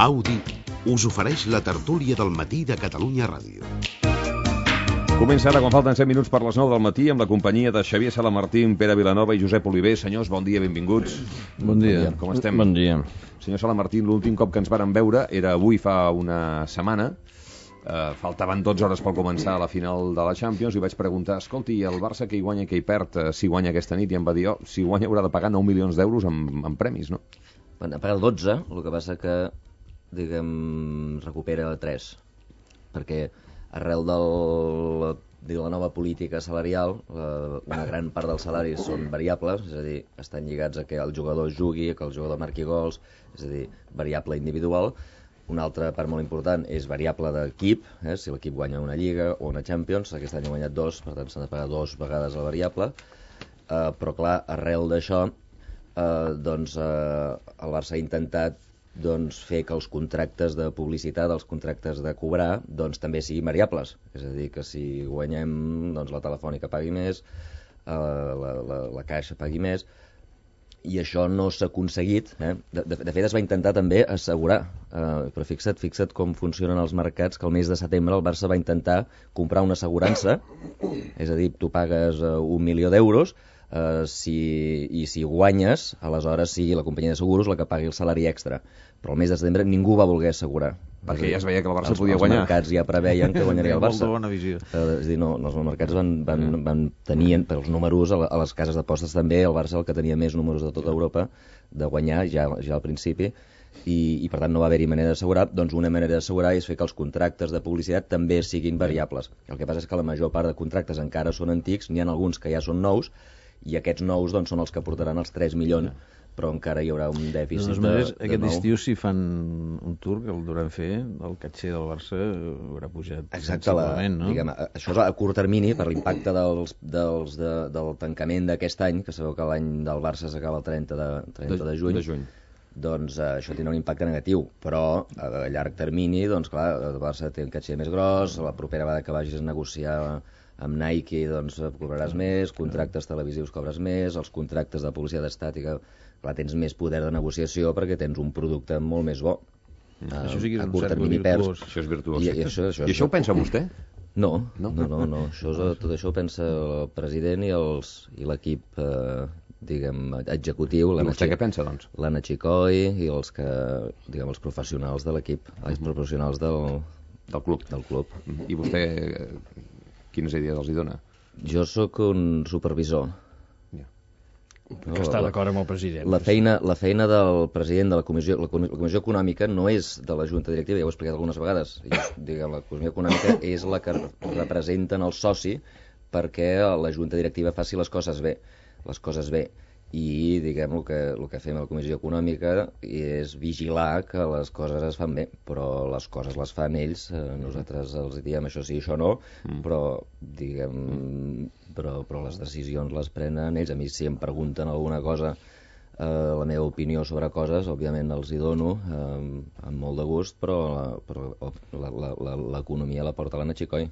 Audi us ofereix la tertúlia del matí de Catalunya Ràdio. Comença ara, quan falten 7 minuts per les 9 del matí, amb la companyia de Xavier Salamartín, Pere Vilanova i Josep Oliver. Senyors, bon dia, benvinguts. Bon dia. Com estem? Bon dia. Senyor Salamartín, l'últim cop que ens vàrem veure era avui fa una setmana. Faltaven 12 hores per començar la final de la Champions i vaig preguntar, escolti, el Barça que hi guanya, que hi perd, si guanya aquesta nit? I em va dir, si guanya haurà de pagar 9 milions d'euros en premis, no? Ha pagat 12, el que passa que, diguem, recupera 3, perquè arrel de la nova política salarial, una gran part dels salaris són variables, és a dir, estan lligats a que el jugador jugui, que el jugador marqui gols, és a dir, variable individual. Una altra part molt important és variable d'equip, si l'equip guanya una Lliga o una Champions, aquest any ha guanyat 2, per tant s'han de pagar 2 vegades la variable, però clar, arrel d'això, el Barça ha intentat fer que els contractes de publicitat, els contractes de cobrar, també siguin variables. És a dir, que si guanyem, la Telefònica pagui més, la Caixa pagui més, i això no s'ha aconseguit. De fet, es va intentar també assegurar, però fixa't com funcionen els mercats, que el mes de setembre el Barça va intentar comprar una assegurança, és a dir, tu pagues 1 milió d'euros, i si guanyes, aleshores sigui la companyia de seguros la que pagui el salari extra. Però el mes de setembre ningú va voler assegurar. Perquè ja es veia que el Barça podia guanyar. Els mercats ja preveien que guanyaria el Barça. Molt bona visió. És a dir, els mercats van tenien, per els números, a les cases d'apostes també, el Barça el que tenia més números de tota Europa, de guanyar ja al principi, i per tant no va haver-hi manera d'assegurar. Doncs una manera d'assegurar és fer que els contractes de publicitat també siguin variables. El que passa és que la major part de contractes encara són antics, n'hi ha alguns que ja són nous, i aquests nous són els que portaran els 3 milions, però encara hi haurà un dèficit de aquest estiu, si fan un tour, que el duran fer, el caché del Barça haurà pujat sensiblement, no? Diguem, això és a curt termini, per l'impacte del tancament d'aquest any, que sabeu que l'any del Barça s'acaba el 30 de juny. Doncs això tindrà un impacte negatiu, però a llarg termini, doncs clar, el Barça té un caché més gros, la propera vegada que vagis a negociar amb Nike, doncs cobraràs més, contractes televisius cobres més, els contractes de publicitat estàtica, clar, tens més poder de negociació perquè tens un producte molt més bo. Això sí que és a un curt cercle termini virtuós. Això és virtuós. I això ho pensa vostè? No. Tot això ho pensa el president i l'equip, diguem, executiu. I vostè què pensa, doncs? L'Anna Chicoi i els professionals de l'equip, els professionals del club. I vostè quines idees els hi dona? Jo sóc un supervisor. Que està d'acord amb el president. La feina del president de la Comissió Econòmica no és de la Junta Directiva, ja ho he explicat algunes vegades. La Comissió Econòmica és la que representen el soci perquè la Junta Directiva faci les coses bé. I, diguem, el que fem a la Comissió Econòmica és vigilar que les coses es fan bé, però les coses les fan ells. Nosaltres els diem això sí, això no, però, diguem, però les decisions les prenen ells. A mi, si em pregunten alguna cosa, la meva opinió sobre coses, òbviament els hi dono amb molt de gust, però l'economia la porta l'Anna Chicoi.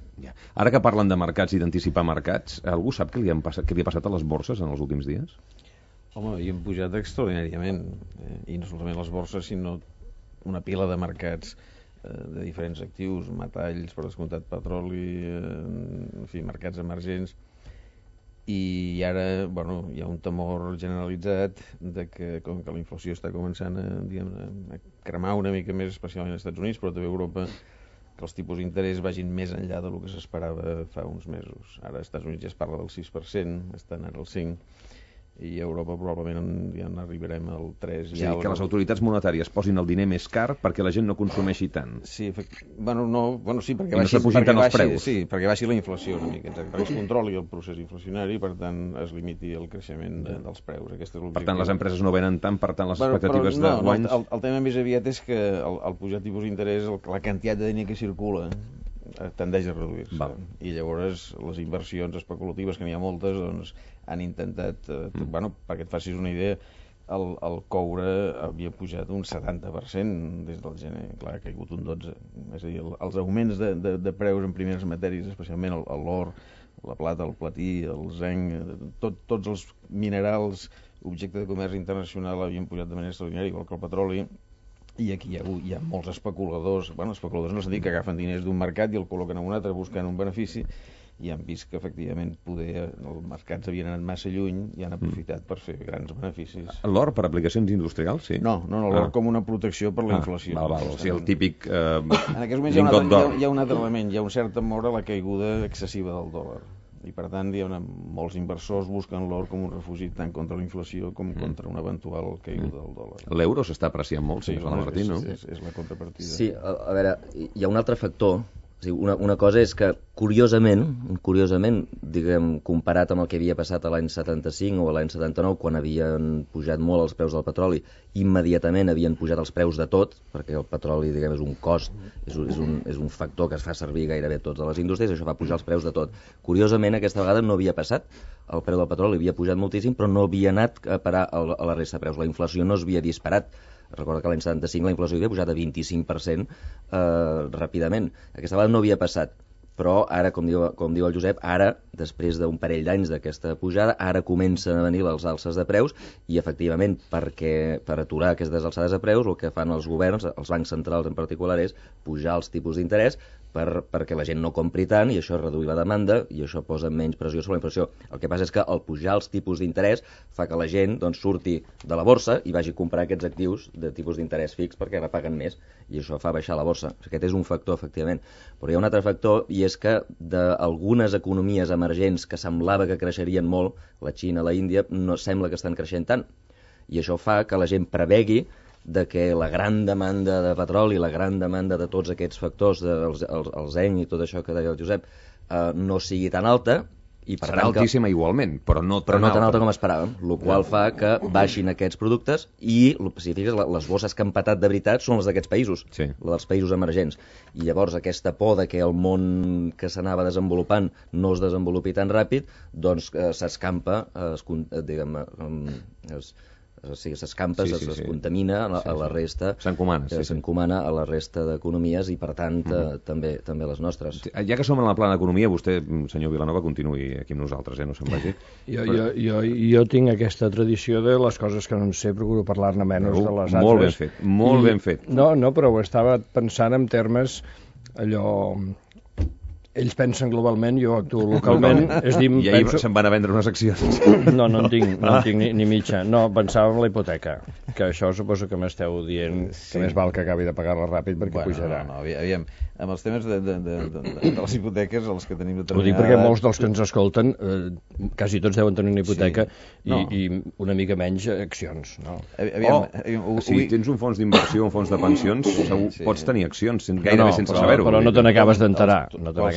Ara que parlen de mercats i d'anticipar mercats, algú sap què li ha passat a les borses en els últims dies? Home, hi han pujat extraordinàriament, i no solament les borses, sinó una pila de mercats de diferents actius, metalls, per descomptat petroli, en fi, mercats emergents, i ara, hi ha un temor generalitzat de que, com que la inflació està començant a cremar una mica més, especialment als Estats Units, però també a Europa, que els tipus d'interès vagin més enllà del que s'esperava fa uns mesos. Ara als Estats Units ja es parla del 6%, estan ara al 5%, i a Europa probablement ja n'arribarem al 3%. És a dir, que les autoritats monetàries posin el diner més car perquè la gent no consumeixi tant. Sí, perquè baixi la inflació una mica, perquè es controli el procés inflacionari i per tant es limiti el creixement dels preus. Per tant, les empreses no venen tant, per tant les expectatives de guanys... El tema més aviat és que al pujar tipus d'interès la quantitat de diner que circula tendeix a reduir-se. I llavors les inversions especulatives, que n'hi ha moltes, doncs han intentat, perquè et facis una idea, el coure havia pujat un 70% des del gener, clar, ha caigut un 12%. És a dir, els augments de preus en primeres matèries, especialment l'or, la plata, el platí, el zinc, tots els minerals objecte de comerç internacional havien pujat de manera extraordinària, igual que el petroli, I aquí hi ha molts especuladors, especuladors en el sentit que agafen diners d'un mercat i el col·loquen en un altre buscant un benefici, i han vist que efectivament els mercats havien anat massa lluny i han aprofitat per fer grans beneficis. L'or per aplicacions industrials, sí? No, l'or com una protecció per la inflació. O sigui, el típic en aquests moments hi ha un altre element, hi ha un cert temor a la caiguda excessiva del dòlar. I per tant molts inversors busquen l'or com un refugi tant contra la inflació com contra una eventual caiguda del dòlar. L'euro s'està apreciant molt, sí, Martí, no? És la contrapartida. Sí, a veure, hi ha un altre factor. Una cosa és que, curiosament, diguem, comparat amb el que havia passat a l'any 75 o a l'any 79, quan havien pujat molt els preus del petroli, immediatament havien pujat els preus de tot, perquè el petroli, diguem, és un cost, és un factor que es fa servir gairebé tots a les indústries, això fa pujar els preus de tot. Curiosament, aquesta vegada no havia passat, el preu del petroli havia pujat moltíssim, però no havia anat a parar a la resta de preus, la inflació no es havia disparat. Recorda que l'any 75 la inflació havia pujat a 25% ràpidament. Aquesta vegada no havia passat, però ara, com diu el Josep, ara, després d'un parell d'anys d'aquesta pujada, ara comencen a venir les alces de preus i, efectivament, per aturar aquestes alçades de preus, el que fan els governs, els bancs centrals en particular, és pujar els tipus d'interès perquè la gent no compri tant i això reduir la demanda i això posa menys pressió sobre la inflació. El que passa és que el pujar els tipus d'interès fa que la gent surti de la borsa i vagi a comprar aquests actius de tipus d'interès fix perquè la paguen més i això fa baixar la borsa. Aquest és un factor, efectivament. Però hi ha un altre factor i és que d'algunes economies emergents que semblava que creixerien molt, la Xina, la Índia, no sembla que estan creixent tant. I això fa que la gent prevegui de que la gran demanda de petroli, la gran demanda de tots aquests factors, el zen i tot això que deia el Josep, no sigui tan alta. I per serà altíssima igualment, però no tan alta com esperàvem, el qual fa que baixin aquests productes i, si fiques, les bosses que han patat de veritat són les d'aquests països, la dels països emergents. I llavors aquesta por de que el món que s'anava desenvolupant no es desenvolupi tan ràpid, doncs s'escampa, s'escampa, es contamina a la resta, s'encomana a la resta d'economies i per tant també les nostres. Ja que som en la plana d'economia, vostè, senyor Vilanova, continuï aquí amb nosaltres, no se'n vagi. Jo tinc aquesta tradició de les coses que no en sé, procuro parlar-ne menys de les altres. Molt ben fet, molt ben fet. No, però ho estava pensant en termes allò... Ells pensen globalment, jo actuo localment. I ahir se'n van a vendre unes accions. No en tinc ni mitja. No, pensava en la hipoteca, que això suposo que m'esteu dient que més val que acabi de pagar-la ràpid perquè pujarà. No, aviam, amb els temes de les hipoteques, els que tenim determinades... Ho dic perquè molts dels que ens escolten, quasi tots deuen tenir una hipoteca i una mica menys accions, no? Si tens un fons d'inversió, un fons de pensions, pots tenir accions, gairebé sense saber-ho. Però no te n'acabes d'enterar.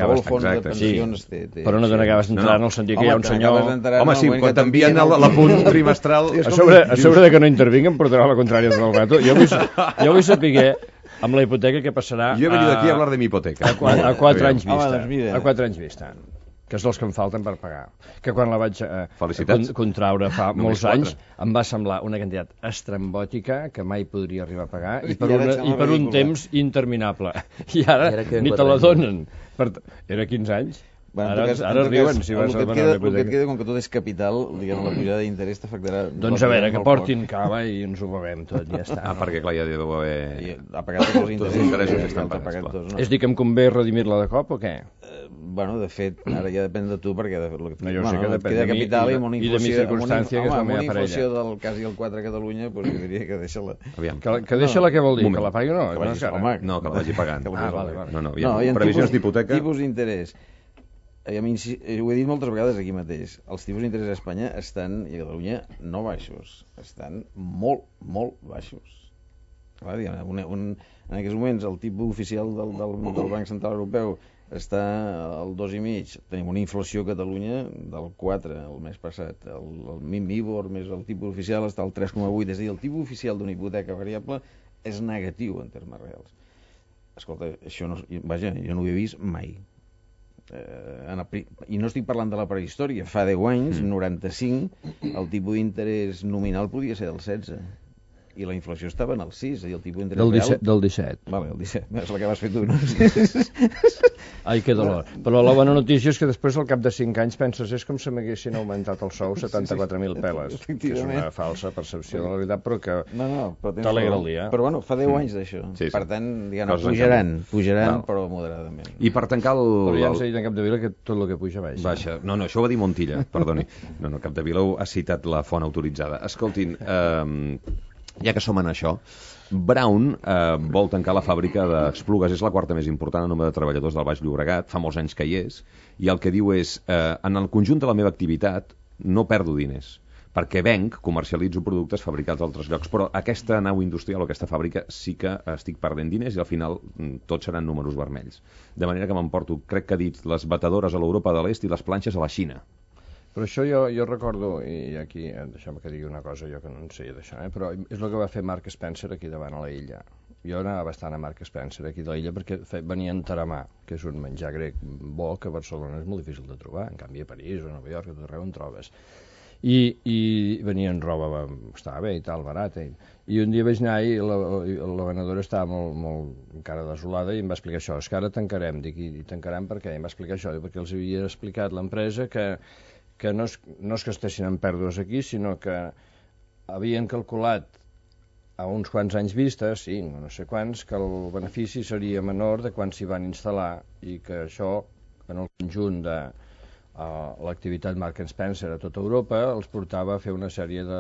Qualsevol fons de pensions té... Però no te n'acabes d'entrar en el sentit que hi ha un senyor... Home, sí, quan t'envien l'apunt trimestral... A sobre de que no intervinguen, portarà la contrària del gato. Jo vull saber amb la hipoteca què passarà... Jo he venit aquí a hablar de mi hipoteca. A 4 anys vista. A 4 anys vista. Que és els que em falten per pagar. Que quan la vaig contraure fa molts anys em va semblar una quantitat estrambòtica que mai podria arribar a pagar i per un temps interminable. I ara ni te la donen. Era 15 anys. Ara riuen si vas a demanar una hipoteca. El que et queda, com que tot és capital, diguem, la pujada d'interès t'afectarà... Doncs a veure, que portin cava i ens ho bevem tot, ja està. Perquè clar, ja deu haver... Ha pagat tots els interessos que estan pagats. És dir, que em convé redimir-la de cop o què? Bueno, de fet, ara ja depèn de tu, perquè jo sé que depèn de mi i de mi circumstància, que és la meva parella. Amb una inflació del quasi el 4 a Catalunya, doncs jo diria que deixa-la... Que deixa-la què vol dir? Que la pagui o no? No, que la vagi pagant. No, previsions d'hipoteca... Tipus d'interès. Ho he dit moltes vegades aquí mateix, els tipus d'interès a Espanya estan, i a Catalunya, no baixos, estan molt, molt baixos. Clar, en aquests moments el tipus oficial del Banc Central Europeu està al 2,5, tenim una inflació a Catalunya del 4 el mes passat, el MIBOR més el tipus oficial està al 3,8, és a dir, el tipus oficial d'una hipoteca variable és negatiu en termes reals. Escolta, això no, vaja, jo no ho he vist mai. I no estic parlant de la prehistòria, fa 10 anys, 95, el tipus d'interès nominal podia ser del 16. i la inflació estava en el 6, és a dir, el tipus d'interès real... Del 17. Vale, el 17, és la que vas fer tu, no? Ai, que dolor. Però la bona notícia és que després, al cap de 5 anys, penses, és com si m'haguessin augmentat el sou 74.000 peles, que és una falsa percepció de la veritat, però que t'alegra el dia. Però bueno, fa 10 anys d'això. Per tant, pujaran, però moderadament. I per tancar el... Però ja ens ha dit en Capdevila que tot el que puja baixa. Baixa. No, això ho va dir Montilla, perdoni. No, Capdevila ha citat la font autoritzada. Escoltin, ja que som en això, Brown vol tancar la fàbrica d'Esplugues, és la quarta més important en nombre de treballadors del Baix Llobregat, fa molts anys que hi és, i el que diu és, en el conjunt de la meva activitat no perdo diners, perquè venc, comercialitzo productes fabricats a altres llocs, però aquesta nau industrial o aquesta fàbrica sí que estic perdent diners i al final tots seran números vermells. De manera que m'emporto, crec que ha dit, les batedores a l'Europa de l'Est i les planxes a la Xina. Però això jo recordo, i aquí deixem que digui una cosa, jo que no en sé d'això, però és el que va fer Mark Spencer aquí davant a la illa. Jo anava bastant a Mark Spencer aquí de l'illa perquè venien taramà, que és un menjar grec bo que a Barcelona és molt difícil de trobar, en canvi a París o a Nova York, a tot arreu en trobes. I venien roba, estava bé i tal, barata. I un dia vaig anar i la venedora estava molt encara desolada i em va explicar això, és que ara tancarem, dic, i tancarem per què? I em va explicar això, perquè els havia explicat l'empresa que no és que estessin en pèrdues aquí, sinó que havien calculat a uns quants anys vista, 5 o no sé quants, que el benefici seria menor de quan s'hi van instal·lar i que això, en el conjunt de l'activitat Mark Spencer a tota Europa, els portava a fer una sèrie de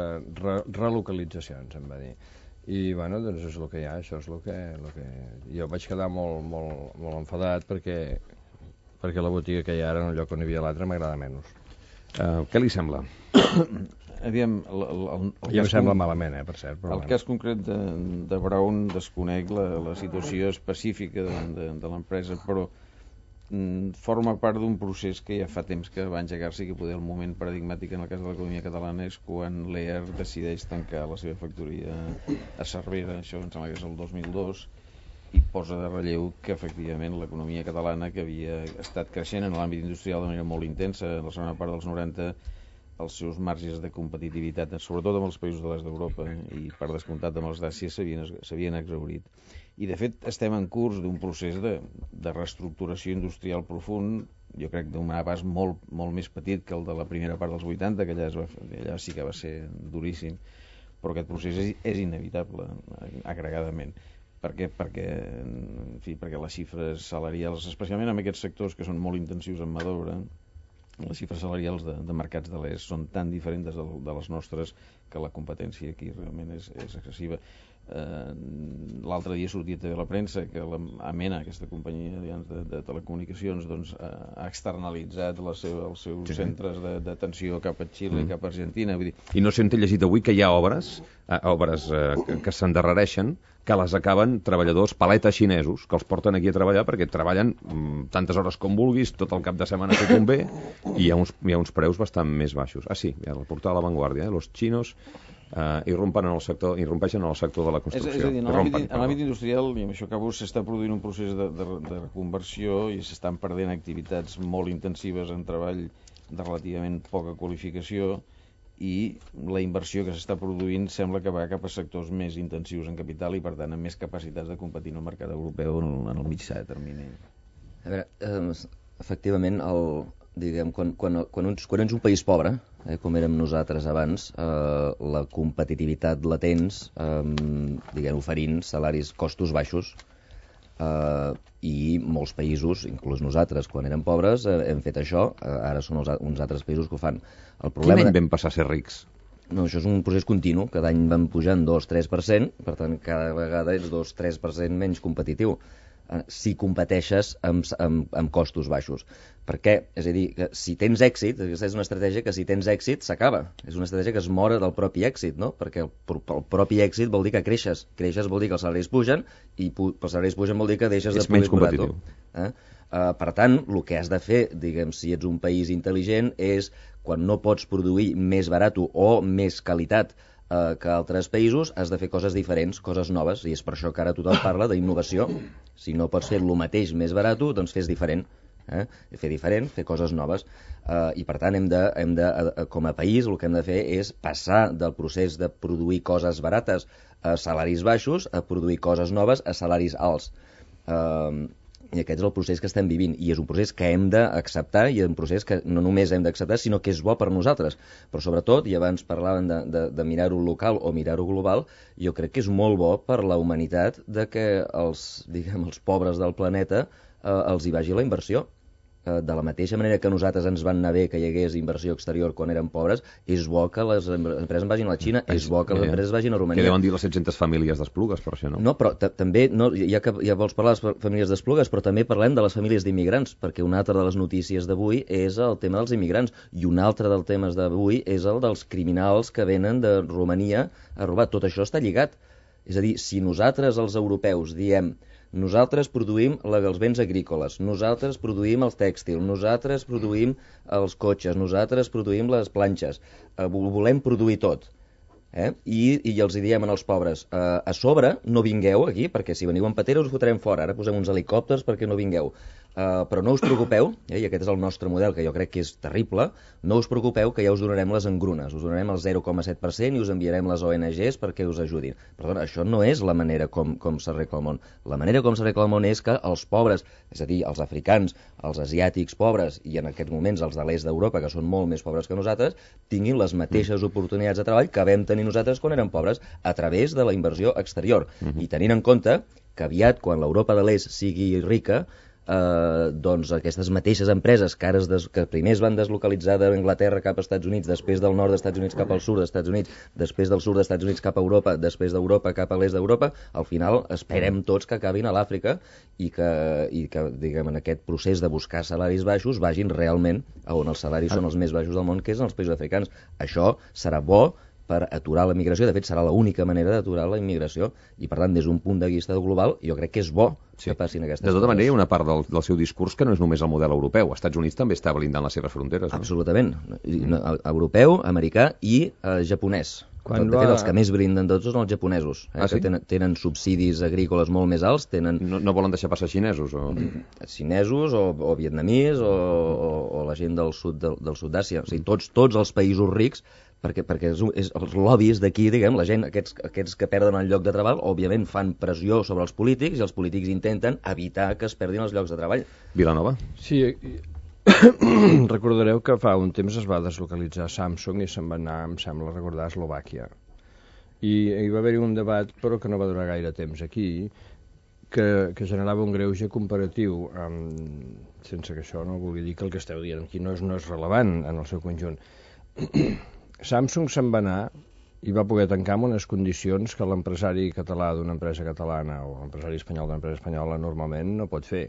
relocalitzacions, em va dir. I, bueno, doncs és el que hi ha, això és el que... Jo vaig quedar molt enfadat perquè la botiga que hi ha ara en el lloc on hi havia l'altre m'agrada menys. Què li sembla? Aviam, ja em sembla malament, per cert. Però el cas concret de Brown desconec la situació específica de l'empresa, però forma part d'un procés que ja fa temps que va engegar-se i que poder el moment paradigmàtic en el cas de l'economia catalana és quan Lear decideix tancar la seva factoria a Cervera, això em sembla que és el 2002, i posa de relleu que efectivament l'economia catalana, que havia estat creixent en l'àmbit industrial de manera molt intensa en la segona part dels 90, els seus marges de competitivitat, sobretot amb els països de l'est d'Europa i per descomptat amb els d'Àsia, s'havien exhaurit. I de fet estem en curs d'un procés de reestructuració industrial profund, jo crec d'un abast molt més petit que el de la primera part dels 80, que allà sí que va ser duríssim, però aquest procés és inevitable agregadament. Per què? Perquè les xifres salarials, especialment en aquests sectors que són molt intensius en mà d'obra, les xifres salarials de mercats de l'est són tan diferents de les nostres que la competència aquí realment és excessiva. L'altre dia sortia també a la premsa que la Amena, aquesta companyia de telecomunicacions, doncs, ha externalitzat els seus centres d'atenció cap a Xile, cap a Argentina. Vull dir... I no sé on he llegit avui que hi ha obres que s'endarrereixen, que les acaben treballadors paletes xinesos, que els porten aquí a treballar perquè treballen tantes hores com vulguis, tot el cap de setmana que convé, i hi ha uns preus bastant més baixos. Ah, sí, el portal La Vanguardia, los chinos irrompeixen en el sector de la construcció. És a dir, en l'àmbit industrial, i amb això acabo, s'està produint un procés de reconversió i s'estan perdent activitats molt intensives en treball de relativament poca qualificació, i la inversió que s'està produint sembla que va cap a sectors més intensius en capital i per tant amb més capacitats de competir en el mercat europeu en el mitjà de termini. A veure, efectivament, quan ets un país pobre, com érem nosaltres abans, la competitivitat la tens oferint salaris, costos baixos, i molts països, inclús nosaltres, quan érem pobres, hem fet això, ara són uns altres països que ho fan. Quin any vam passar a ser rics? No, això és un procés continu, cada any van pujant 2-3%, per tant cada vegada ets 2-3% menys competitiu si competeixes amb costos baixos. Per què? És a dir, que si tens èxit, aquesta és una estratègia que si tens èxit s'acaba. És una estratègia que es mora del propi èxit, no? Perquè el propi èxit vol dir que creixes. Creixes vol dir que els salaris pugen, i els salaris pugen vol dir que deixes de poder cobrar tu. Per tant, el que has de fer, si ets un país intel·ligent, és quan no pots produir més barat o més qualitat que altres països, has de fer coses diferents, coses noves, i és per això que ara tothom parla d'innovació. Si no pots fer el mateix més barat, doncs fes diferent. fer diferent, fer coses noves. I per tant com a país el que hem de fer és passar del procés de produir coses barates a salaris baixos a produir coses noves a salaris alts. I aquest és el procés que estem vivint, i és un procés que hem d'acceptar, i és un procés que no només hem d'acceptar, sinó que és bo per nosaltres. Però sobretot, i abans parlaven de mirar-ho local o mirar-ho global, jo crec que és molt bo per la humanitat de que els pobres del planeta els hi vagi la inversió. De la mateixa manera que a nosaltres ens van anar bé que hi hagués inversió exterior quan érem pobres, és bo que les empreses vagin a la Xina, és bo que les empreses vagin a Romania. Què deuen dir les 700 famílies d'Esplugues, per això, no? No, però també, ja vols parlar de les famílies d'Esplugues, però també parlem de les famílies d'immigrants, perquè una altra de les notícies d'avui és el tema dels immigrants, i un altre dels temes d'avui és el dels criminals que venen de Romania a robar. Tot això està lligat. És a dir, si nosaltres, els europeus, diem nosaltres produïm els béns agrícoles, nosaltres produïm el tèxtil, nosaltres produïm els cotxes, nosaltres produïm les planxes, volem produir tot. I els diem als pobres, a sobre no vingueu aquí, perquè si veniu en patera us fotrem fora, ara posem uns helicòpters perquè no vingueu. Però no us preocupeu, i aquest és el nostre model, que jo crec que és terrible, no us preocupeu que ja us donarem les engrunes, us donarem el 0,7% i us enviarem les ONGs perquè us ajudin. Perdona, això no és la manera com s'arregla el món. La manera com s'arregla el món és que els pobres, és a dir, els africans, els asiàtics pobres, i en aquests moments els de l'est d'Europa, que són molt més pobres que nosaltres, tinguin les mateixes oportunitats de treball que vam tenir nosaltres quan érem pobres, a través de la inversió exterior. I tenint en compte que aviat, quan l'Europa de l'est sigui rica, doncs aquestes mateixes empreses que primer es van deslocalitzar d'Anglaterra cap als Estats Units, després del nord dels Estats Units cap al sud dels Estats Units, després del sud dels Estats Units cap a Europa, després d'Europa cap a l'est d'Europa, al final esperem tots que acabin a l'Àfrica i que diguem, en aquest procés de buscar salaris baixos vagin realment a on els salaris són els més baixos del món, que és en els països africans. Això serà bo per aturar la migració, de fet serà l'única manera d'aturar la immigració, i per tant des d'un punt de vista global jo crec que és bo que passin aquestes coses. De tota manera hi ha una part del seu discurs que no és només el model europeu, els Estats Units també està blindant les seves fronteres, no? Absolutament, europeu, americà i japonès. De fet, els que més brinden tots són els japonesos, que tenen subsidis agrícoles molt més alts. No volen deixar passar xinesos? Xinesos o vietnamís o la gent del sud d'Àsia. O sigui, tots els països rics, perquè els lobbies d'aquí, diguem, la gent, aquests que perden el lloc de treball, òbviament fan pressió sobre els polítics i els polítics intenten evitar que es perdin els llocs de treball. Vilanova? Sí, recordareu que fa un temps es va deslocalitzar Samsung i se'n va anar, em sembla recordar, a Eslovàquia. I hi va haver-hi un debat, però que no va durar gaire temps aquí, que generava un greuge comparatiu, sense que això no vulgui dir que el que esteu dient aquí no és rellevant en el seu conjunt. Samsung se'n va anar i va poder tancar amb unes condicions que l'empresari català d'una empresa catalana o l'empresari espanyol d'una empresa espanyola normalment no pot fer.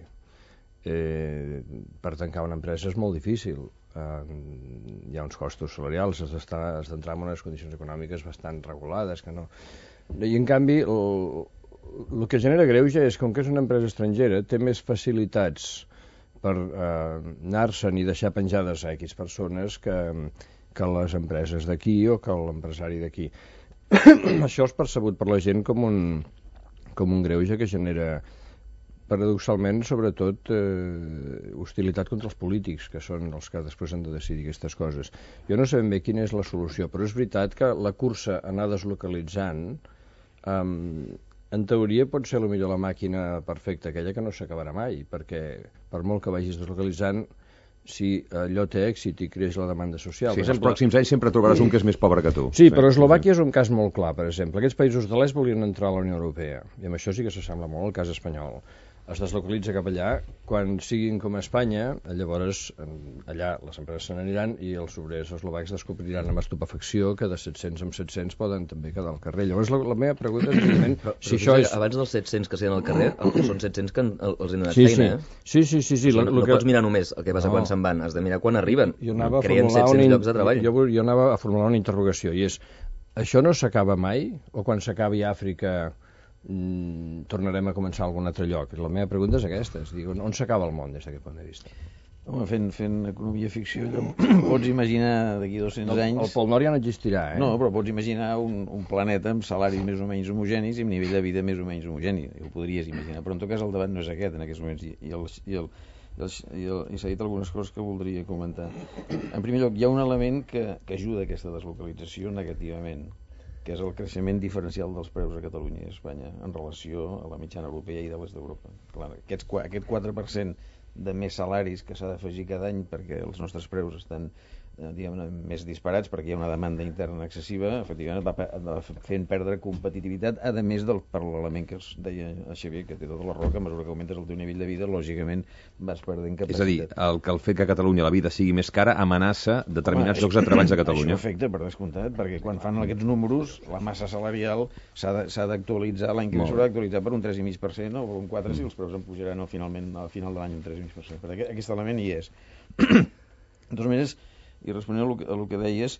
Per tancar una empresa és molt difícil. Hi ha uns costos salarials, has d'entrar en unes condicions econòmiques bastant regulades. I en canvi, el que genera greuge és que, com que és una empresa estrangera, té més facilitats per anar-se'n i deixar penjades a X persones que les empreses d'aquí o que l'empresari d'aquí. Això és percebut per la gent com un greuge que genera, paradoxalment, sobretot hostilitat contra els polítics, que són els que després han de decidir aquestes coses. Jo no sé ben bé quina és la solució, però és veritat que la cursa a anar deslocalitzant, en teoria pot ser potser la màquina perfecta, aquella que no s'acabarà mai, perquè per molt que vagis deslocalitzant, si allò té èxit i creix la demanda social... Sí, els pròxims anys sempre trobaràs un que és més pobre que tu. Sí, però Eslovàquia és un cas molt clar, per exemple. Aquests països de l'est volien entrar a la Unió Europea, i amb això sí que s'assembla molt al cas espanyol. Es deslocalitza cap allà, quan siguin com a Espanya, llavors allà les empreses se n'aniran i els obrers eslovacs descobriran amb estupefacció que de 700 en 700 poden també quedar al carrer. Llavors la meva pregunta és, evidentment, si això és... Abans dels 700 que siguin al carrer, són 700 que els han donat feina, Sí. No pots mirar només el que passa quan se'n van, has de mirar quan arriben. Creen 700 llocs de treball. Jo anava a formular una interrogació, i és, això no s'acaba mai? O quan s'acabi Àfrica tornarem a començar a algun altre lloc? La meva pregunta és aquesta, on s'acaba el món des d'aquest punt de vista? Home, fent economia ficció, pots imaginar d'aquí 200 anys... El Pol Nord ja no existirà, No, però pots imaginar un planeta amb salaris més o menys homogenis i amb nivell de vida més o menys homogeni. Ho podries imaginar, però en tot cas el debat no és aquest en aquests moments. i s'ha dit algunes coses que voldria comentar. En primer lloc, hi ha un element que ajuda a aquesta deslocalització negativament, que és el creixement diferencial dels preus a Catalunya i a Espanya en relació a la mitjana europea i de l'est d'Europa. Clar, aquest 4% de més salaris que s'ha d'afegir cada any perquè els nostres preus estan més disparats perquè hi ha una demanda interna excessiva, efectivament va fent perdre competitivitat, a més per l'element que deia el Xavier, que té tota la raó, que a mesura que augmentes el teu nivell de vida, lògicament vas perdent capacitat. És a dir, el fet que a Catalunya la vida sigui més cara amenaça determinats llocs de treball de Catalunya. Això afecta, per descomptat, perquè quan fan aquests números, la massa salarial s'ha d'actualitzar, l'any que ve s'haurà d'actualitzar per un 3,5% o per un 4% si els preus en pujaran al final de l'any un 3,5%. Perquè aquest element hi és. De totes maneres, i responent a el que deies,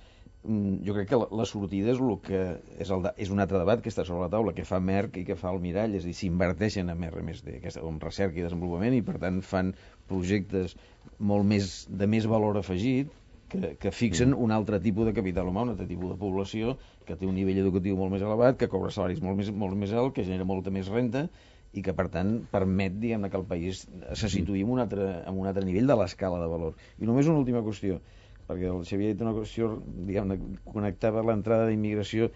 jo crec que la sortida és un altre debat que està sobre la taula, que fa Merck i que fa el Mirall, és a dir, s'inverteixen en R+D, en recerca i desenvolupament, i per tant fan projectes de més valor afegit, que fixen un altre tipus de capital humà, un altre tipus de població, que té un nivell educatiu molt més elevat, que cobra salaris molt més alt, que genera molta més renta, i que, per tant, permet, diguem-ne, que el país se situï en un altre nivell de l'escala de valor. I només una última qüestió, perquè el Xavier ha dit una qüestió, diguem-ne, connectava l'entrada d'immigració,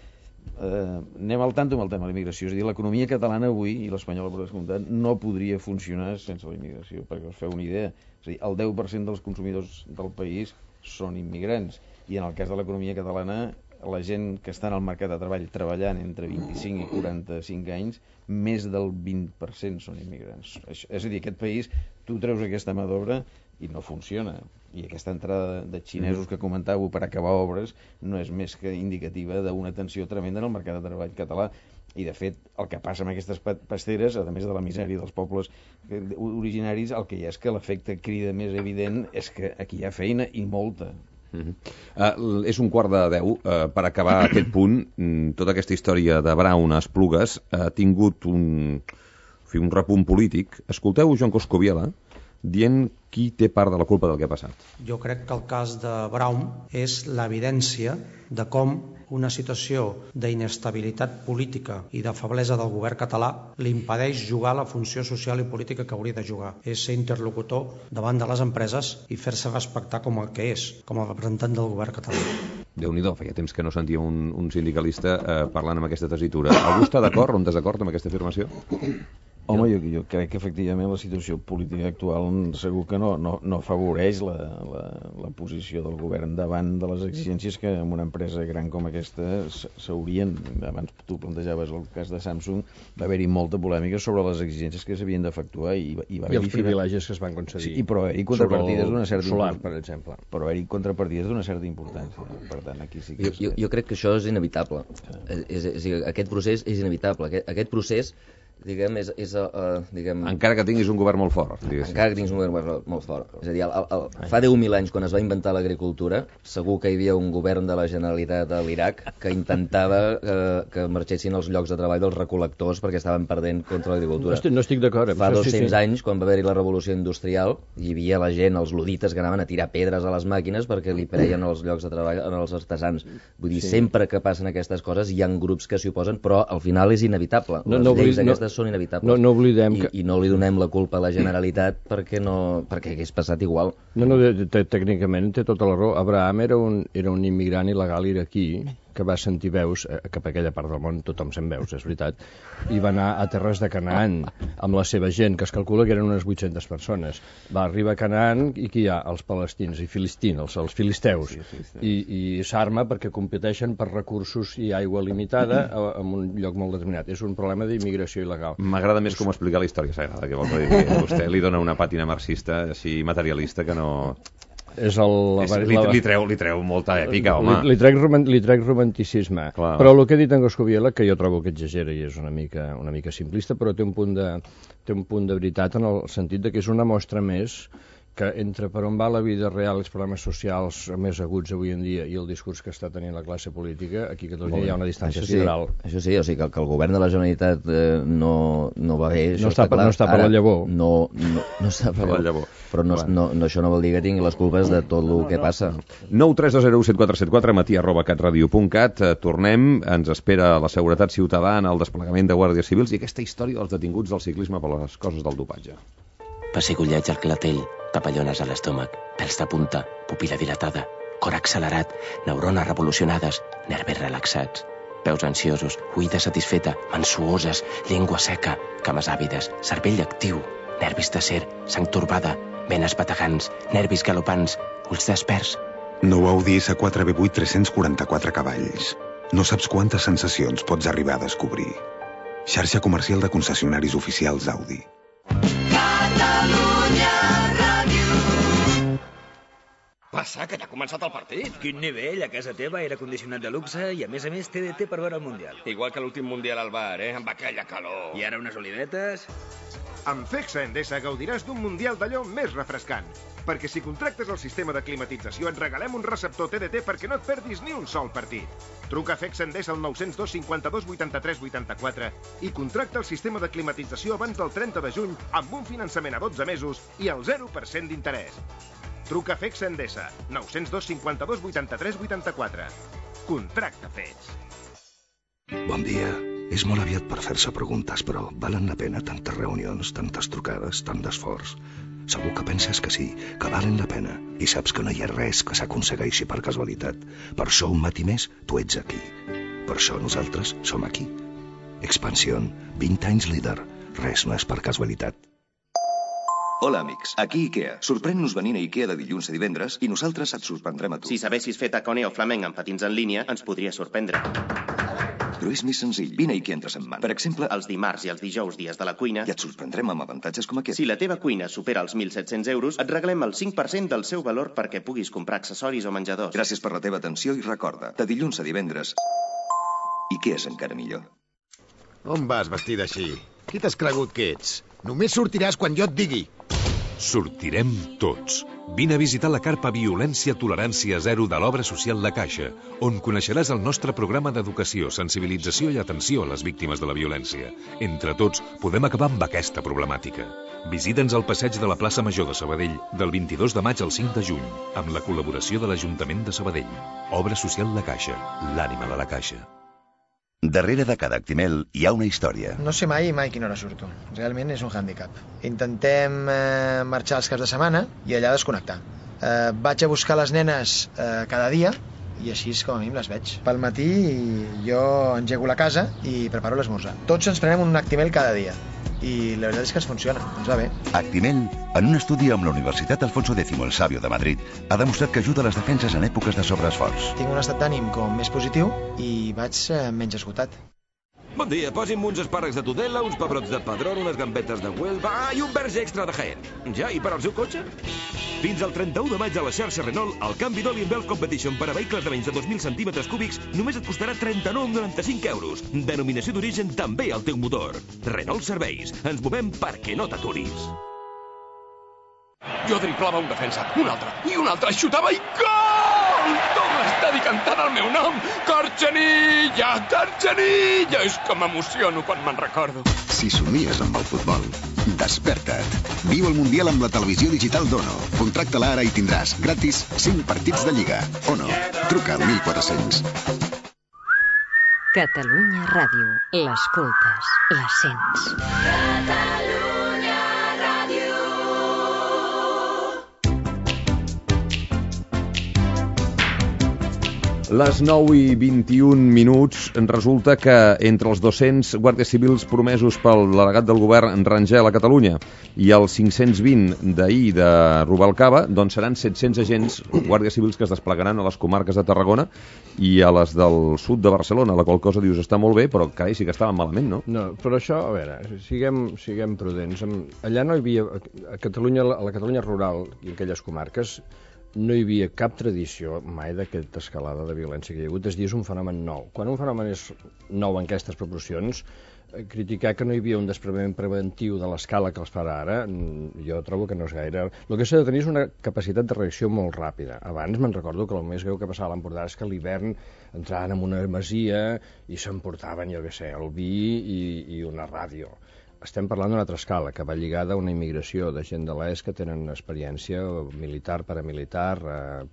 anem al tanto amb el tema de l'immigració, és a dir, l'economia catalana avui, i l'espanyola per descomptat, no podria funcionar sense la immigració, perquè us feu una idea, és a dir, el 10% dels consumidors del país són immigrants, i en el cas de l'economia catalana, la gent que està en el mercat de treball treballant entre 25 i 45 anys, més del 20% són immigrants. És a dir, aquest país, tu treus aquesta mà d'obra i no funciona. I aquesta entrada de xinesos que comentàveu per acabar obres no és més que indicativa d'una tensió tremenda en el mercat de treball català. I, de fet, el que passa amb aquestes pasteres, a més de la misèria dels pobles originaris, el que hi ha és que l'efecte crida més evident és que aquí hi ha feina i molta. És 11:45. Per acabar aquest punt, tota aquesta història de Brown a Esplugues ha tingut un repunt polític. Escolteu Joan Coscubiela dient qui té part de la culpa del que ha passat. Jo crec que el cas de Brown és l'evidència de com una situació d'inestabilitat política i de feblesa del govern català li impedeix jugar la funció social i política que hauria de jugar. És ser interlocutor davant de les empreses i fer-se respectar com el que és, com a representant del govern català. Déu-n'hi-do, feia temps que no sentia un sindicalista parlant amb aquesta tessitura. Algú està d'acord o en desacord amb aquesta afirmació? Home, jo crec que efectivament la situació política actual segur que no afavoreix la posició del govern davant de les exigències que en una empresa gran com aquesta s'haurien. Abans tu plantejaves el cas de Samsung, va haver-hi molta polèmica sobre les exigències que s'havien d'efectuar i els privilegis que es van concedir. Sí, però haver-hi contrapartides d'una certa importància, per exemple. Però haver-hi contrapartides d'una certa importància. Per tant, aquí sí que jo crec que això és inevitable. Aquest procés és inevitable. Aquest procés, diguem, encara que tinguis un govern molt fort. Encara que tinguis un govern molt fort. És a dir, fa 10.000 anys, quan es va inventar l'agricultura, segur que hi havia un govern de la Generalitat a l'Iraq que intentava que marxessin els llocs de treball dels recol·lectors perquè estaven perdent contra l'agricultura. No estic d'acord. Fa 200 anys, quan va haver-hi la revolució industrial, hi havia la gent, els ludites, que anaven a tirar pedres a les màquines perquè li preien els llocs de treball als artesans. Vull dir, sempre que passen aquestes coses hi ha grups que s'hi oposen, però al final és inevitable. Les lleis aquestes són inevitables. No oblidem I no li donem la culpa a la Generalitat perquè hagués passat igual. Tècnicament té tota la raó. Abraham era un immigrant il·legal iraquí que va sentir veus, cap a aquella part del món tothom sent veus, és veritat, i va anar a terres de Canaan amb la seva gent, que es calcula que eren unes 800 persones. Va arribar a Canaan i qui hi ha? Els palestins i filistins, els filisteus. I s'arma perquè competeixen per recursos i aigua limitada en un lloc molt determinat. És un problema d'immigració il·legal. M'agrada més com explicar la història sagrada, que vol dir que vostè li dona una pàtina marxista així materialista que no... Li treu molta èpica, home. Li trec romanticisme. Clar. Però el que ha dit en Coscubiela, que jo trobo que exagera i és una mica simplista, però té un punt de veritat en el sentit de que és una mostra més que entre per on va la vida real, els problemes socials més aguts avui en dia i el discurs que està tenint la classe política, aquí a Catalunya hi ha una distància sideral. Això sí, o sigui que el govern de la Generalitat no va bé, no està per la llavor. No està per la llavor. Però això no vol dir que tingui les culpes de tot el que passa. 932017474, matí@catradio.cat. Tornem, ens espera la seguretat ciutadana, el desplegament de guàrdies civils i aquesta història dels detinguts del ciclisme per les coses del dopatge. pessigolleig al clatell, papallones a l'estómac, pèls de punta, pupil·la dilatada, cor accelerat, neurones revolucionades, nervis relaxats, peus ansiosos, oïda satisfeta, mans suoses, llengua seca, cames àvides, cervell actiu, nervis d'acer, sang torbada, venes bategants, nervis galopants, ulls desperts. Nou Audi S4 V8 344 cavalls. No saps quantes sensacions pots arribar a descobrir. Xarxa comercial de concessionaris oficials Audi. Catalunya Ràdio. Passa, que ja ha començat el partit. Quin nivell, a casa teva, aire condicionat de luxe i a més TDT per veure el Mundial. Igual que l'últim Mundial al bar, amb aquella calor. I ara unes olivetes... Amb Fexa Endesa gaudiràs d'un Mundial d'allò més refrescant. Perquè si contractes el sistema de climatització et regalem un receptor TDT perquè no et perdis ni un sol partit. Truca a Fexa Endesa al 902 52 83 84 i contracta el sistema de climatització abans del 30 de juny amb un finançament a 12 mesos i al 0% d'interès. Truca a Fexa Endesa, 902 52 83 84. Contracta fets. Bon dia. És molt aviat per fer-se preguntes, però valen la pena tantes reunions, tantes trucades, tant d'esforç. Segur que penses que sí, que valen la pena, i saps que no hi ha res que s'aconsegueixi per casualitat. Per això un matí més tu ets aquí. Per això nosaltres som aquí. Expansión, 20 anys líder. Res no és per casualitat. Hola, amics. Aquí IKEA. Sorprèn-nos venint a IKEA de dilluns a divendres i nosaltres et sorprendrem a tu. Si sabessis fer tacone o flamenc amb patins en línia, ens podria sorprendre. Però és més senzill. Vine a IKEA entre setmana. Per exemple, els dimarts i els dijous dies de la cuina... I et sorprendrem amb avantatges com aquest. Si la teva cuina supera els 1.700 euros, et regalem el 5% del seu valor perquè puguis comprar accessoris o menjadors. Gràcies per la teva atenció i recorda, de dilluns a divendres, IKEA és encara millor. On vas vestida així? Qui t'has cregut que ets? Només sortiràs quan jo et digui. Sortirem tots. Vine a visitar la carpa Violència Tolerància Zero de l'Obra Social La Caixa, on coneixeràs el nostre programa d'educació, sensibilització i atenció a les víctimes de la violència. Entre tots, podem acabar amb aquesta problemàtica. Visita'ns al passeig de la plaça Major de Sabadell del 22 de maig al 5 de juny, amb la col·laboració de l'Ajuntament de Sabadell. Obra Social La Caixa, l'ànima de la Caixa. Darrere de cada Actimel hi ha una història. No sé mai quina hora surto. Realment és un hàndicap. Intentem marxar els caps de setmana i allà desconnectar. Vaig a buscar les nenes cada dia i així com a mínim les veig. Pel matí jo engego la casa i preparo l'esmorzar. Tots ens prenem un Actimel cada dia i la veritat és que ens funciona, ens va bé. Actimel, en un estudi amb la Universitat Alfonso X el Sabio de Madrid, ha demostrat que ajuda a les defenses en èpoques de sobreesforç. Tinc un estat d'ànim com més positiu i vaig menys esgotat. Bon dia, posi'm uns espàrrecs de Tudela, uns pebrots de Padrón, unes gambetes de Huelva i un verge extra de Jaén. Ja, i per al seu cotxe? Fins al 31 de maig a la xarxa Renault, el canvi d'oli en Bells Competition per a vehicles de menys de 2.000 centímetres cúbics només et costarà 39,95 euros. Denominació d'origen també al teu motor. Renault Serveis. Ens movem perquè no t'aturis. Jo driblava un defensa, un altre, xutava i gol! Tot l'estadi cantant el meu nom! Carxanilla, Carxanilla! És que m'emociono quan me'n recordo. Si somies amb el futbol, desperta't. Viu el Mundial amb la televisió digital d'Ono. Contracta-la ara i tindràs gratis 5 partits de Lliga. Ono, truca al 1400. Catalunya Ràdio. L'escoltes, la sents. Catalunya Ràdio. Les 9 i 21 minuts, resulta que entre els 200 guàrdies civils promesos pel delegat del govern Rangel a Catalunya i els 520 d'ahir de Rubalcaba, doncs seran 700 agents, guàrdies civils que es desplegaran a les comarques de Tarragona i a les del sud de Barcelona, la qual cosa dius està molt bé, però carai, sí que estaven malament, no? No, però això, a veure, siguem prudents. Allà no hi havia, a la Catalunya rural i aquelles comarques, no hi havia cap tradició mai d'aquesta escalada de violència que hi ha hagut. És dir, és un fenomen nou. Quan un fenomen és nou en aquestes proporcions, criticar que no hi havia un desplegament preventiu de l'escala que els farà ara, jo trobo que no és gaire... El que s'ha de tenir és una capacitat de reacció molt ràpida. Abans me'n recordo que el més greu que passava a l'Empordà és que a l'hivern entraven en una masia i s'emportaven, jo què sé, el vi i una ràdio. Estem parlant d'una altra escala, que va lligada a una immigració de gent de l'ES que tenen experiència militar, paramilitar,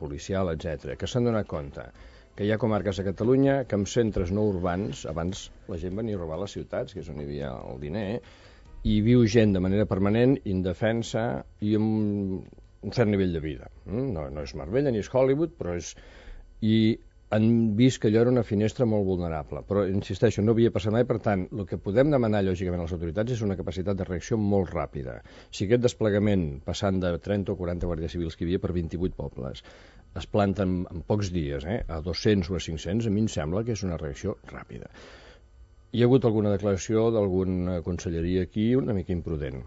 policial, etc. que s'han donat compte que hi ha comarques a Catalunya que en centres no urbans, abans la gent venia a robar a les ciutats, que és on hi havia el diner, i viu gent de manera permanent, indefensa i amb un cert nivell de vida. No és Marbella ni és Hollywood, però és... I han vist que allò era una finestra molt vulnerable. Però, insisteixo, no havia passat mai, per tant, el que podem demanar, lògicament, a les autoritats és una capacitat de reacció molt ràpida. Si aquest desplegament, passant de 30 o 40 guàrdies civils que hi havia per 28 pobles, es planten en pocs dies, a 200 o a 500, a mi em sembla que és una reacció ràpida. Hi ha hagut alguna declaració d'alguna conselleria aquí una mica imprudent,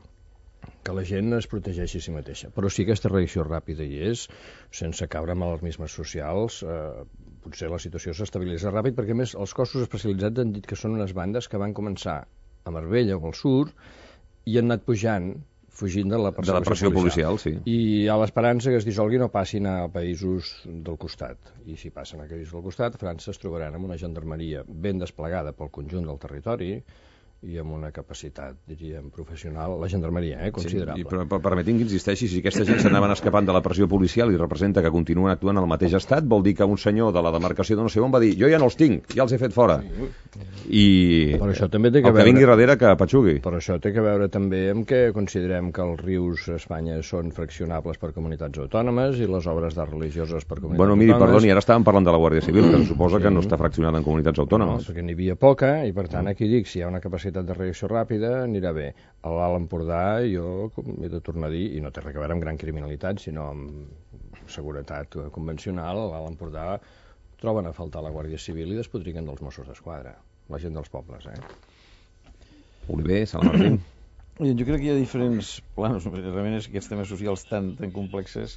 que la gent es protegeixi a si mateixa. Però si aquesta reacció ràpida hi és, sense caure en alarmismes socials, potser la situació s'estabilitza ràpid, perquè a més els cossos especialitzats han dit que són unes bandes que van començar a Marbella o al sud i han anat pujant, fugint de la pressió policial, sí. I hi ha l'esperança que es dissolgui no passin a països del costat. I si passen a països del costat, a França es trobaran amb una gendarmeria ben desplegada pel conjunt del territori i amb una capacitat, diríem, professional, la gendarmeria, considerable. Sí, però permetin que insisteixi, si aquesta gent s'anaven escapant de la pressió policial i representa que continuen actuant al mateix estat, vol dir que un senyor de la demarcació de no sé on va dir jo ja no els tinc, ja els he fet fora. I però això també té que el que vingui darrere que patxugui. Però això té que veure també amb que considerem que els rius a Espanya són fraccionables per comunitats autònomes i les obres d'art religioses per comunitats autònomes. Miri, perdoni, ara estàvem parlant de la Guàrdia Civil, que suposa que no està fraccionada en comunitats autònomes. No, perquè n'hi havia poca i per tant aquí dic, si hi ha una capacitat de reacció ràpida anirà bé. A l'Alt Empordà jo he de tornar a dir, i no té res a veure amb gran criminalitat, sinó amb seguretat convencional, a l'Alt Empordà troben a faltar la Guàrdia Civil i despotriquen dels Mossos d'Esquadra, la gent dels pobles. Oliver, Sala Martín. Jo crec que hi ha diferents planos, realment és que aquests temes socials tan complexes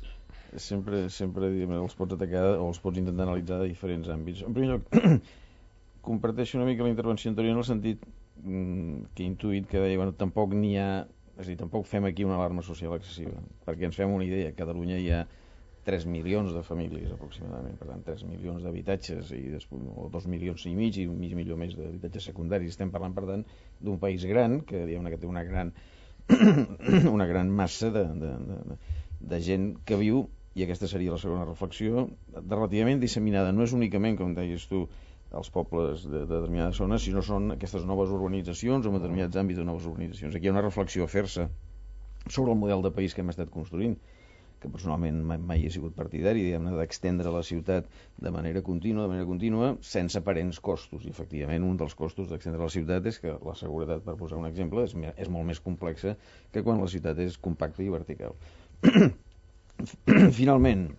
sempre els pots atacar o els pots intentar analitzar de diferents àmbits. En primer lloc, comparteixo una mica la intervenció anterior en el sentit que he intuït que deia, bueno, tampoc n'hi ha, és a dir, tampoc fem aquí una alarma social excessiva, perquè ens fem una idea, a Catalunya hi ha 3 milions de famílies aproximadament, per tant 3 milions d'habitatges i després, o 2 milions i mig milió més d'habitatges secundaris. Estem parlant, per tant, d'un país gran que té una gran massa de gent que viu, i aquesta seria la segona reflexió, relativament disseminada. No és únicament, com deies tu, els pobles de determinades zones, sinó són aquestes noves urbanitzacions o en determinats àmbits de noves urbanitzacions. Aquí hi ha una reflexió a fer-se sobre el model de país que hem estat construint, que personalment mai he sigut partidari, diguem-ne, d'extendre la ciutat de manera contínua, sense aparents costos. I efectivament un dels costos d'extendre la ciutat és que la seguretat, per posar un exemple, és molt més complexa que quan la ciutat és compacta i vertical. Finalment,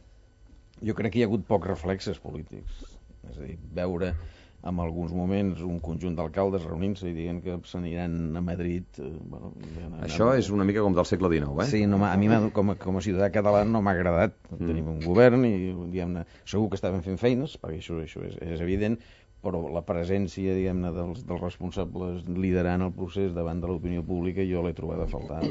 jo crec que hi ha hagut pocs reflexes polítics. És a dir, veure en alguns moments un conjunt d'alcaldes reunint-se i dient que s'aniran a Madrid... Això és una mica com del segle XIX, Sí, a mi com a ciutadà català no m'ha agradat. Tenim un govern i, diguem-ne, segur que estaven fent feines, perquè això és evident, però la presència, diguem-ne, dels responsables liderant el procés davant de l'opinió pública jo l'he trobat a faltar.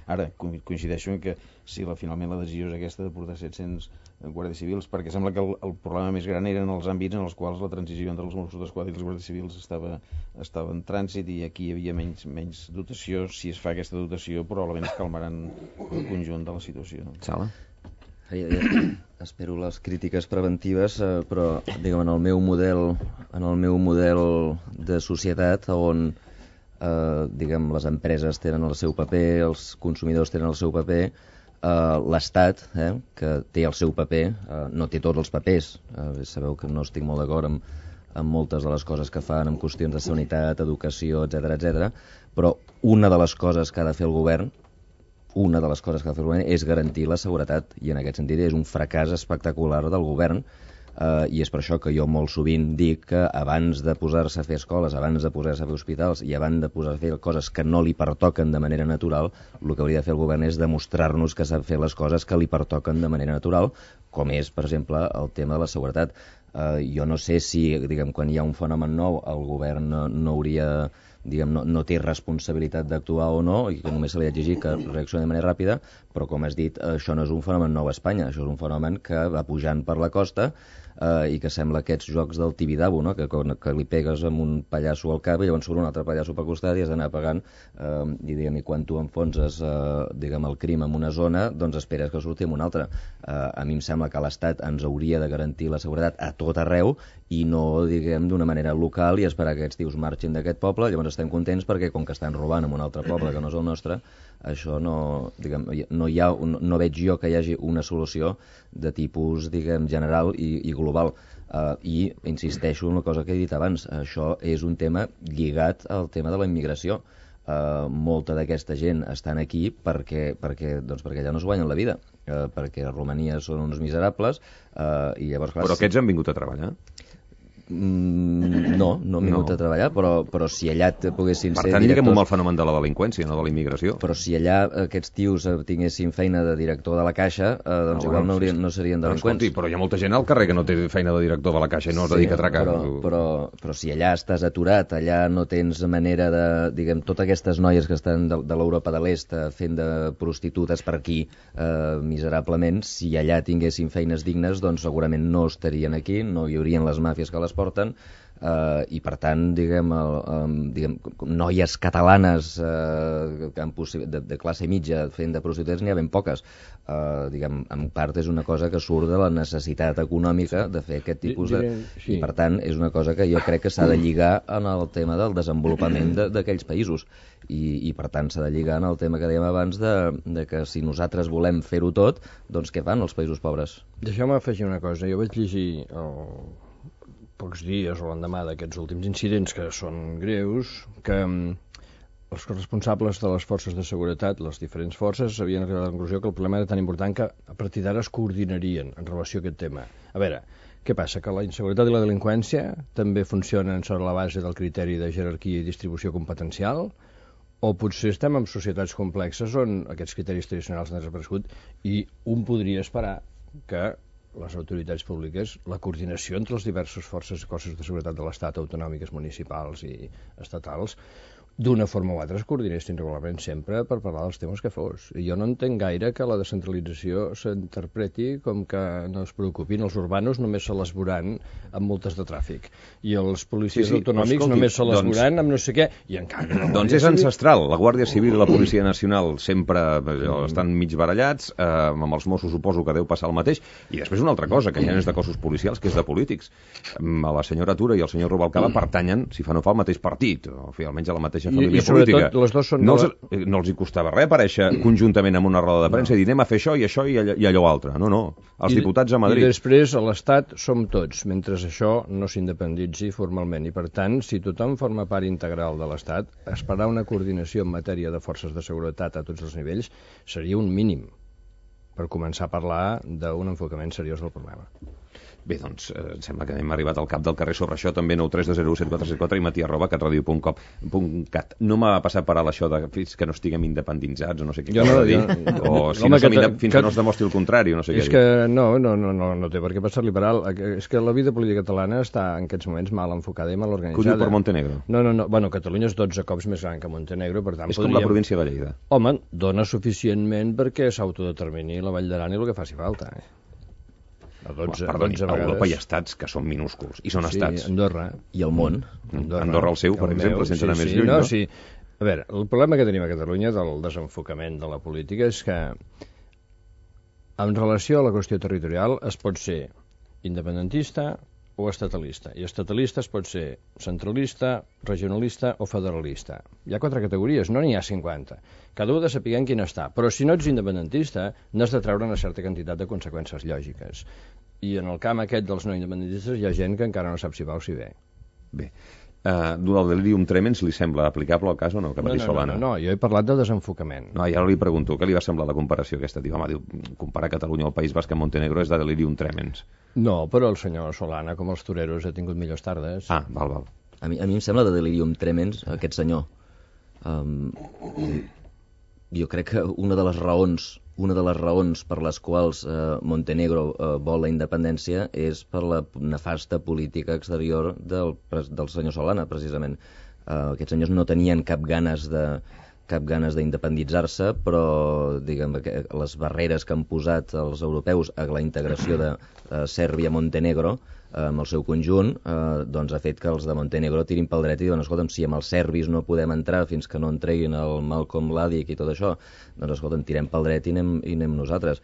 Ara, coincideixo en que si finalment la decisió és aquesta de portar 700 guàrdies civils, perquè sembla que el problema més gran eren els àmbits en els quals la transició entre els Mossos d'Esquadra i els guàrdies civils estava en trànsit i aquí hi havia menys dotació. Si es fa aquesta dotació probablement es calmaran el conjunt de la situació. Sala? Espero les crítiques preventives, però diguem, en el meu model de societat on diguem, les empreses tenen el seu paper, els consumidors tenen el seu paper, l'Estat, que té el seu paper, no té tots els papers. Sabeu que no estic molt d'acord amb moltes de les coses que fan en qüestions de sanitat, educació, etc, però una de les coses que ha de fer el govern és garantir la seguretat, i en aquest sentit és un fracàs espectacular del govern, i és per això que jo molt sovint dic que abans de posar-se a fer escoles, abans de posar-se a fer hospitals i abans de posar a fer coses que no li pertoquen de manera natural, el que hauria de fer el govern és demostrar-nos que sap fer les coses que li pertoquen de manera natural, com és, per exemple, el tema de la seguretat. Jo no sé si, diguem, quan hi ha un fenomen nou, el govern no hauria... no té responsabilitat d'actuar o no, i que només se li ha d'exigir que reaccioni de manera ràpida, però com has dit, això no és un fenomen nou a Espanya, això és un fenomen que va pujant per la costa i que sembla aquests jocs del Tibidabo, no? que li pegues amb un pallasso al cap i llavors surt un altre pallasso pel costat i has d'anar pagant, i quan tu enfonses el crim en una zona, doncs esperes que surti en una altra. A mi em sembla que l'Estat ens hauria de garantir la seguretat a tot arreu i no, d'una manera local i esperar que aquests tios marxin d'aquest poble, llavors estem contents perquè com que estan robant en un altre poble que no és el nostre, això no veig jo que hi hagi una solució de tipus, general i global. I insisteixo en la cosa que he dit abans, això és un tema lligat al tema de la immigració. Molta d'aquesta gent estan aquí perquè allà no es guanyen la vida, perquè a Romania són uns miserables i llavors... Clar, però aquests han vingut a treballar? No han vingut a treballar, però si allà poguessin ser directors... Per tant, diguem-ho amb el fenomen de la delinqüència, no de la immigració. Però si allà aquests tios tinguessin feina de director de la Caixa, doncs igual no serien delinqüents. Escolti, però hi ha molta gent al carrer que no té feina de director de la Caixa i no es dedica a atracar. Però si allà estàs aturat, allà no tens manera de... Totes aquestes noies que estan de l'Europa de l'Est fent de prostitutes per aquí miserablement, si allà tinguessin feines dignes, doncs segurament no estarien aquí, no hi haurien les màfies que les porten, i per tant, noies catalanes de classe mitja fent de prostitutes n'hi ha ben poques. En part és una cosa que surt de la necessitat econòmica de fer aquest tipus de... I per tant és una cosa que jo crec que s'ha de lligar en el tema del desenvolupament d'aquells països i per tant s'ha de lligar en el tema que dèiem abans de que si nosaltres volem fer-ho tot, doncs què fan els països pobres? Deixeu-me afegir una cosa. Jo vaig llegir pocs dies o l'endemà d'aquests últims incidents que són greus, que els responsables de les forces de seguretat, les diferents forces, havien arribat a la conclusió que el problema era tan important que a partir d'ara es coordinarien en relació a aquest tema. A veure, què passa? Que la inseguretat i la delinqüència també funcionen sobre la base del criteri de jerarquia i distribució competencial? O potser estem en societats complexes on aquests criteris tradicionals han desaparegut i un podria esperar que les autoritats públiques, la coordinació entre les diverses forces i cossos de seguretat de l'Estat, autonòmiques, municipals i estatals, d'una forma o altra es coordinessin regularment sempre per parlar dels temes que fos. I jo no entenc gaire que la descentralització s'interpreti com que no es preocupin. Els urbanos només se les veuran amb multes de tràfic. I els policies autonòmics només se les veuran amb no sé què. I en canvi... Doncs és ancestral. La Guàrdia Civil i la Policia Nacional sempre estan mig barallats, amb els Mossos suposo que deu passar el mateix. I després una altra cosa, que ja no és de cossos policials, que és de polítics. La senyora Tura i el senyor Rubalcaba pertanyen, si fa no fa, al mateix partit, o almenys a la mateixa família política. Les dos són no els hi costava res aparèixer conjuntament en una roda de premsa i dir anem a fer això i això i allò altre. No. Els diputats a Madrid. I després a l'Estat som tots, mentre això no s'independitzi formalment. I per tant, si tothom forma part integral de l'Estat, esperar una coordinació en matèria de forces de seguretat a tots els nivells seria un mínim per començar a parlar d'un enfocament seriós del problema. Bé, doncs, em sembla que hem arribat al cap del carrer sobre això, també 932017474 i mati@radiocom.cat. No m'ha passat per alt això de fins que no estiguem independitzats o no sé què cal dir, o si no fins que no es demostri el contrari, o no sé què dir. És que no té per què passar-li per alt. És que la vida política catalana està en aquests moments mal enfocada i mal organitzada. Que ho diu per Montenegro? No. Bueno, Catalunya és 12 cops més gran que Montenegro, per tant és com la província de Lleida. Home, dona suficientment perquè s'autodetermini la Vall d'Aran i el que faci falta, Perdoni, a Europa hi ha estats que són minúsculs, i són estats. Sí, Andorra. I el món. Andorra el seu, per exemple, sense anar més lluny, no? Sí. A veure, el problema que tenim a Catalunya del desenfocament de la política és que en relació a la qüestió territorial es pot ser independentista o estatalista. I estatalista es pot ser centralista, regionalista o federalista. Hi ha 4 categories, no n'hi ha 50. Cada un ha de saber en quina està. Però si no ets independentista, n'has de treure una certa quantitat de conseqüències lògiques. I en el camp aquest dels no independentistes hi ha gent que encara no sap si va o si ve. Bé. El delirium tremens li sembla aplicable al cas o no? No, jo he parlat de desenfocament. No, i ara li pregunto, què li va semblar la comparació aquesta? Diu, comparar Catalunya al País Basc amb Montenegro és de delirium tremens. No, però el senyor Solana, com els toreros, ha tingut millors tardes. Ah, val. A mi em sembla de delirium tremens aquest senyor. Jo crec que una de les raons per les quals Montenegro vol la independència és per la nefasta política exterior del senyor Solana, precisament. Aquests senyors no tenien cap ganes d'independitzar-se, però diguem que les barreres que han posat els europeus a la integració de Sèrbia-Montenegro amb el seu conjunt, doncs ha fet que els de Montenegro tirin pel dret i diuen, escolta'm, si amb els serbis no podem entrar fins que no en treguin el Malcolm Mladic i tot això, doncs escolta'm, tirem pel dret i anem nosaltres.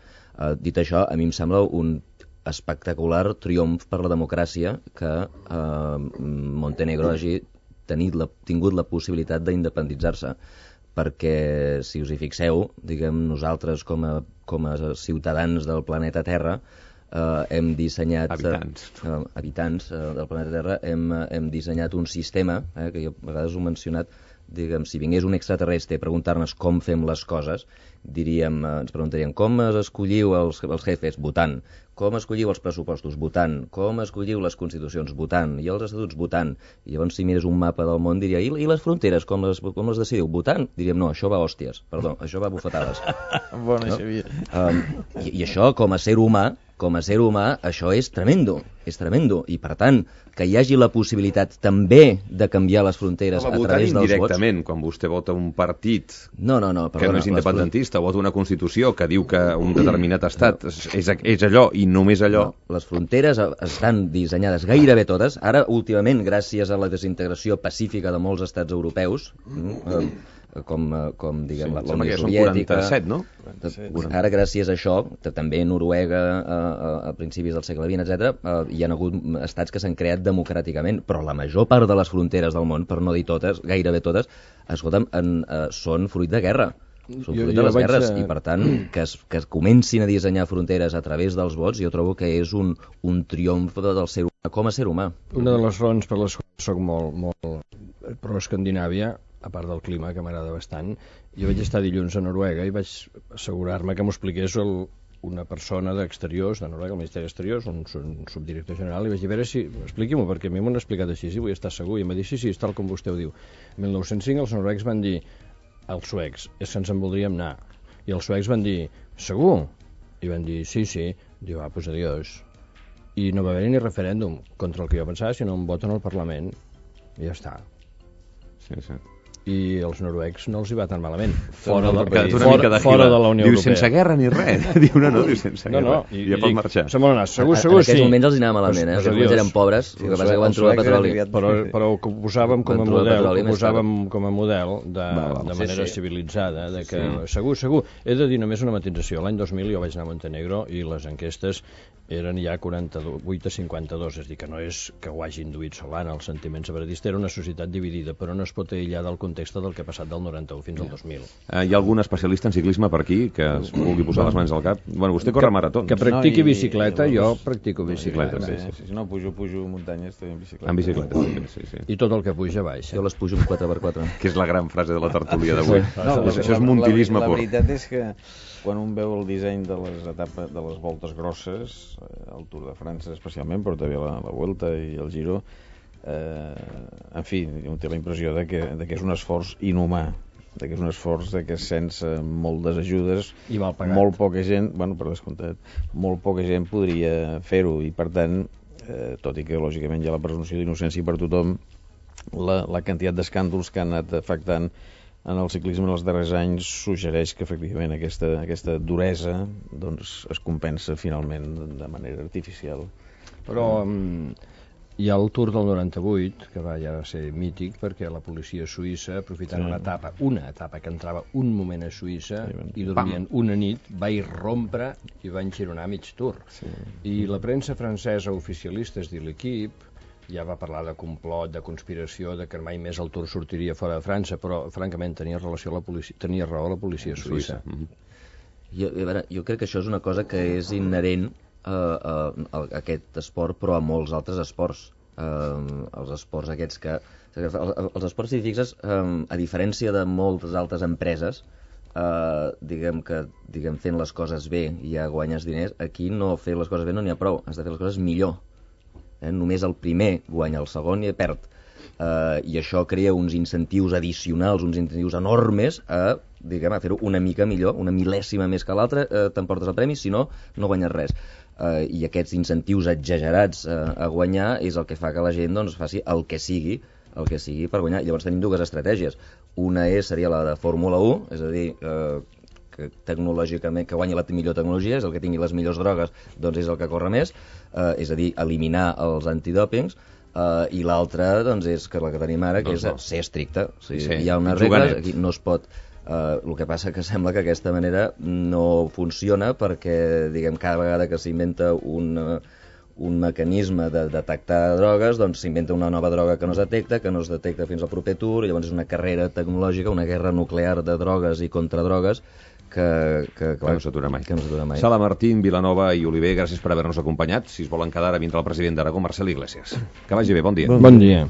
Dit això, a mi em sembla un espectacular triomf per la democràcia que Montenegro hagi tingut la possibilitat d'independitzar-se, perquè, si us hi fixeu, diguem, nosaltres com a ciutadans del planeta Terra hem dissenyat... Habitants del planeta Terra, hem dissenyat un sistema, que jo a vegades ho he mencionat, diguem, si vingués un extraterrestre a preguntar-nos com fem les coses, ens preguntarien com escolliu els jefes? Votant. Com escolliu els pressupostos? Votant. Com escolliu les constitucions? Votant. I els estatuts? Votant. I llavors, si mires un mapa del món, diria, i les fronteres, com les decidiu? Votant? Diríem, no, això va a hòsties. Perdó, això va a bufetades. Bona, no? Xavier. I això, com a ser humà, això és tremendo. I, per tant, que hi hagi la possibilitat també de canviar les fronteres a través dels vots... indirectament, quan vostè vota un partit que no és independentista, vota una Constitució que diu que un determinat estat és allò i només allò... No, les fronteres estan dissenyades gairebé totes. Ara, últimament, gràcies a la desintegració pacífica de molts estats europeus, com diguem, la Unió Soviètica... 47, no? Ara, gràcies a això, també Noruega, a principis del segle XX, etc., hi ha hagut estats que s'han creat democràticament, però la major part de les fronteres del món, per no dir totes, gairebé totes, escolta'm, són fruit de guerra. Són fruit de les guerres, i per tant, que es comencin a dissenyar fronteres a través dels vots, jo trobo que és un triomf del ser humà com a ser humà. Una de les raons per les quals soc molt pro-Escandinàvia, a part del clima, que m'agrada bastant, jo vaig estar dilluns a Noruega i vaig assegurar-me que m'ho expliqués una persona d'Exteriors, de Noruega, el Ministeri d'Exteriors, un subdirector general, i vaig dir, a veure si... Expliqui-m'ho, perquè a mi m'ho han explicat així, i vull estar segur, i em va dir, sí, és tal com vostè ho diu. En 1905 els noruecs van dir als suecs, és que ens en voldríem anar. I els suecs van dir, segur? I van dir, sí. Diu, doncs adiós. I no va haver ni referèndum contra el que jo pensava, sinó un vot en el Parlament. I ja està. Sí. I els noruecs no els hi va tan malament fora de la Unió Europea. Diu, sense guerra ni res. Diu, no, sense guerra. I ja pot marxar. Segur, en aquells moments els hi anava malament, Els noruecs eren pobres, el que passa que van trobar petroli. Però ho posàvem com a model de manera civilitzada, de que segur. He de dir només una matització. L'any 2000 jo vaig anar a Montenegro i les enquestes eren ja 48 a 52, és a dir, que no és que ho hagi induït Solana, el sentiment separatista, era una societat dividida, però no es pot aïllar del context del que ha passat del 91 fins al 2000. Hi ha algun especialista en ciclisme per aquí que es vulgui posar les mans al cap? Bueno, vostè corre maratons. Que practiqui bicicleta, jo practico bicicleta. Si no pujo muntanyes, també en bicicleta. En bicicleta, sí. I tot el que puja baixa. Jo les pujo amb 4x4. Que és la gran frase de la tertúlia d'avui. Això és montilisme pur. La veritat és que quan un veu el disseny de les etapes, de les voltes grosses, el Tour de França especialment, però també la Vuelta i el Giro, en fi, un té la impressió de que és un esforç inhumà, que és un esforç que sense moltes ajudes molt poca gent, per descomptat, molt poca gent podria fer-ho, i per tant, tot i que lògicament hi ha la presumpció d'innocència per tothom, la quantitat d'escàndols que han anat afectant en el ciclisme en els darrers anys suggereix que efectivament aquesta duresa es compensa finalment de manera artificial. Però hi ha el Tour del 98, que va ja ser mític, perquè la policia suïssa, aprofitant una etapa que entrava un moment a Suïssa i dormien una nit, va irrompre i va enxironar mig Tour. I la premsa francesa oficialista, és dir, l'Equip, ja va parlar de complot, de conspiració, de que mai més el Tour sortiria fora de França, però francament tenia raó la policia suïssa. Jo crec que això és una cosa que és inherent a aquest esport, però a molts altres esports. Els esports aquests els esports, si fixes, a diferència de moltes altres empreses, fent les coses bé i ja guanyes diners, aquí no fer les coses bé no n'hi ha prou, has de fer les coses millor. Només el primer guanya, el segon i perd. I això crea uns incentius addicionals, uns incentius enormes a fer-ho una mica millor, una mil·lèsima més que l'altre, t'emportes el premi, si no, no guanyes res. I aquests incentius exagerats a guanyar és el que fa que la gent faci el que sigui per guanyar. Llavors tenim dues estratègies. Una seria la de Fórmula 1, és a dir, que tecnològicament, que guanyi la millor tecnologia, és el que tingui les millors drogues, és el que corre més, és a dir, eliminar els antidòpings, i l'altra és que la que tenim ara, que és ser estricte. Hi ha unes regles, aquí no es pot... El que passa que sembla que aquesta manera no funciona perquè, cada vegada que s'inventa un mecanisme de detectar drogues, doncs s'inventa una nova droga que no es detecta fins al proper Tour, i llavors és una carrera tecnològica, una guerra nuclear de drogues i contradrogues que no s'atura mai. mai. Sala Martín, Vilanova i Oliver, gràcies per haver-nos acompanyat. Si es volen quedar, ara vindrà el president d'Aragó, Marcel Iglesias. Que vagi bé, bon dia. Bon dia.